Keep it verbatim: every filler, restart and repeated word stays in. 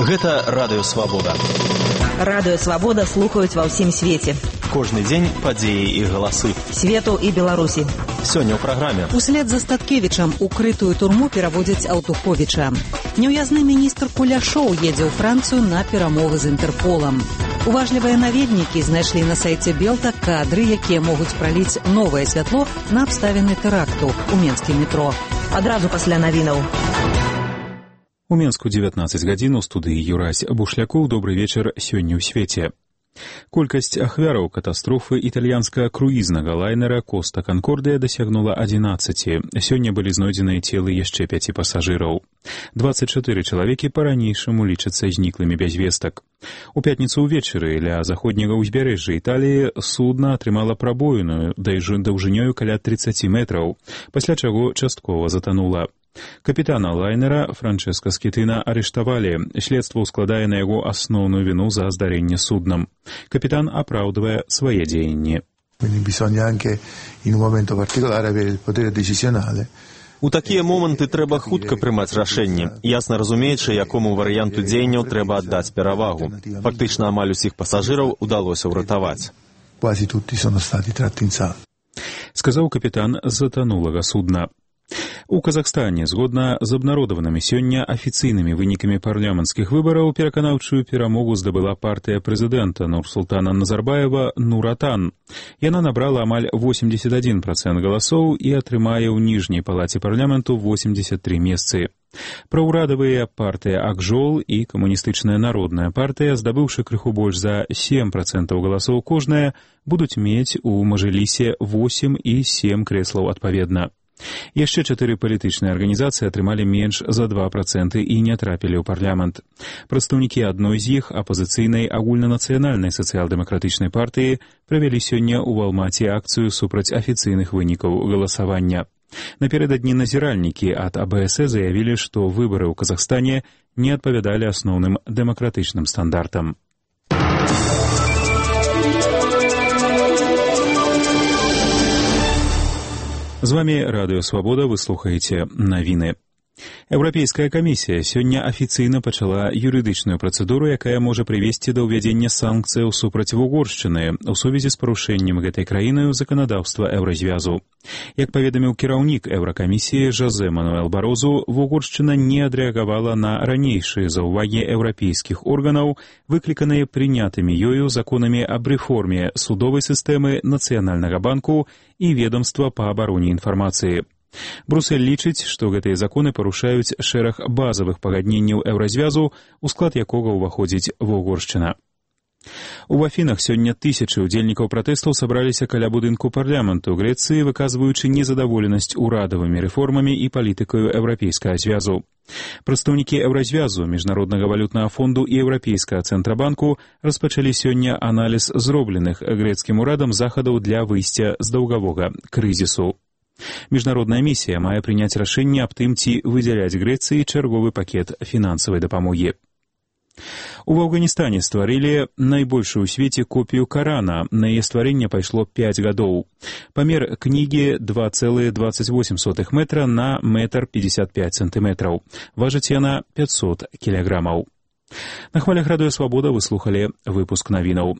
Гэта Радыё Свабода. Радыё Свабода слухаюць ва ўсім свеце. Кожны дзень падзеі і галасы. Свету і Беларусі. Сёння ў праграме. Услед за Статкевічам у крытую турму пераводзяць Аўтуховіча. Неўязны міністр Куляшоў едзе ў Францыю на перамовы з Інтэрполам. Уважлівыя наведнікі знайшлі на сайце Белта кадры, якія могуць праліць новае святло на абставіны тэракту ў менскім метро. Адразу пасля навінаў. У Менску дзевятнаццаць гадзін у студыі Юрась Бушлякоў. Добры вечар сёння ў свеце. Колькасць ахвяраў катастрофы італьянскага круізнага лайнера «Коста Канкордыя» дасягнула адзінаццаці. Сёння былі знойдзеныя целы яшчэ пяці пасажыраў. дваццаць чатыры чалавекі па-ранейшаму лічацца зніклымі без вестак. У пятніцу ўвечары ля заходняга ўзбярэжжа Італіі судна атрымала прабоіну даўжынёю каля трыццаці метраў, пасля чаго часткова затанула. Капітана лайнера Франческа Скітына арыштавалі. Следства ўскладае на яго асноўную віну за здарэнне суднам. Капітан апраўдвае свае дзеянні. У такія моманты трэба хутка прымаць рашэнні, ясна разумеючы, якому варыянту дзеянняў трэба аддаць перавагу. Фактычна амаль усіх пасажыраў удалося ўратаваць. Сказаў капітан затанулага судна. У Казахстане, згодна з абнародаванымі сёння афіцыйнымі вынікамі парламенцкіх выбараў, пераканаўчую перамогу здабыла партыя прэзідэнта Нурсултана Назарбаева «Нур-Атан». Яна набрала амаль восемьдесят один процент галасоў і атрымае ў ніжняй палаце парламенту восемьдесят три месцы. Праўрадавыя партыя «Акжол» і камуністычная народная партыя, здабыўшы крыху больш за сем процентаў галасоў кожная, будуць мець у мажлісе восемь і сем крэслаў адпаведна. Яшчэ чатыры палітычныя арганізацыі атрымалі менш за два проценты і не трапілі ў парламент. Прадстаўнікі адной з іх, апазіцыйнай агульнанацыянальнай сацыял-дэмакратычнай партыі, правялі сёння ў Алмаці акцыю супраць афіцыйных вынікаў галасавання. Наперададні назіральнікі ад А Бэ Эс Э заявілі, што выбары ў Казахстане не адпавядалі асноўным дэмакратычным стандартам. З вами Радыё Свабода, вы слухаеце навіны. Еўрапейская камісія сёння афіцыйна пачала юрыдычную працэдуру, якая можа прывесці да ўвядзення санкцыяў супраць Вугоршчыны ў сувязі з парушэннем гэтай краінаю заканадаўства Еўразвязу. Як паведаміў кіраўнік Еўракамісіі Жозе Мануэл Барозу, Вугоршчына не адрэагавала на ранейшыя заўвагі еўрапейскіх органаў, выкліканыя прынятымі ёю законамі аб рэформе судовай сістэмы, Нацыянальнага банку і ведомства па абароне інфармацыі. Брусель лічыць, што гэтыя законы парушаюць шэраг базавых пагадненняў Еўразвязу, у склад якога ўваходзіць Вугоршчына. У Афінах сёння тысячы ўдзельнікаў пратэстаў сабраліся каля будынку парламенту Грэцыі, выказваючы незадаволенасць урадавымі рэформамі і палітыкаю Еўрапейскага звязу. Прадстаўнікі Еўразвязу, Міжнароднага валютнага фонду і Еўрапейскага цэнтрабанку распачалі сёння аналіз зробленых грэцкім урадам захадаў для выйсця з даўгавога крызісу. Міжнародная місія мае прыняць рашэнне аб тым, ці выдзяляць Грэцыі чарговы пакет фінансавай дапамогі. У Афганістане стварылі найбольшую ў свеце копію Карана. На яе стварэнне пайшло пяць гадоў. Памер кнігі два цэлых дваццаць восем сотых метра на метр пятьдесят пять сантыметраў. Важыць яна пятьсот кілаграмаў. На хвалях Радыё Свабода вы слухалі выпуск навінаў.